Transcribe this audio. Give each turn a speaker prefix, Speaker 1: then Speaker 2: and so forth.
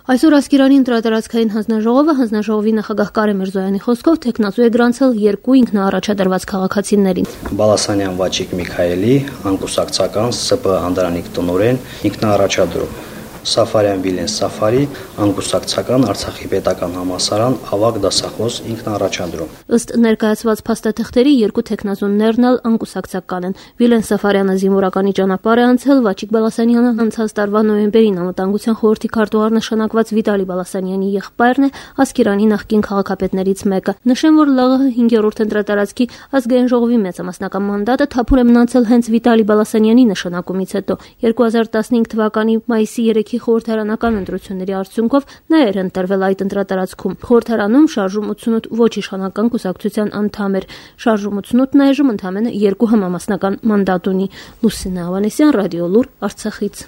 Speaker 1: Այսօր Ասկերանի ընտրատարածքային հանձնաժողովը հանձնաժողովի նախագահ Կարեն Միրզոյանի խոսքով թեկնածու է գրանցել 2 ինքնաառաջադրված քաղաքացիներին։
Speaker 2: Բալասանյան Վաչիկ Միքայելի, անկուսակցական ՍՊ Անդրանիկ տնօրեն, ինքնաառաջադրում Սաֆարյան Վիլեն Սաֆարի, անկուսակցական Արցախի պետական համալսարան ավագ դասախոս ինքնաառաջադրում։
Speaker 1: Ըստ ներկայացված փաստաթղթերի 2 թեկնածուներն էլ անկուսակցական են։ Վիլեն Սաֆարյանը զինվորականի ճանապարհ է անցել, Վաչիկ Բալասանյանը անցած տարվա նոյեմբերին անվտանգության խորհրդի քարտուղար նշանակված Վիտալի Բալասանյանի եղբայրն է, Ասկերանի նախկին քաղաքապետներից մեկը։ Նշեմ, որ ԼՂՀ 5-րդ ընտրատարածքի ազգային ժողովի մեծամասնական մանդատը թափուր է մնացել հենց Վիտալի Բալասանյանի նշանակումից հետո։ 2015 թվականի մայիսի 3-ի խորհրդարանական ընտրությունների արդյունքով նա էր ընտրվել այդ ընտրատարածքում։ Խորհրդարանում շարժում 88 ոչ իշխանական կուսակցության անդամ էր։ Շարժում 88-ն այժմ ընդամենը 2 համամասնական մանդատ ունի։ Լուսինե Ավանեսյան, Ռադիոլուր, Արցախից։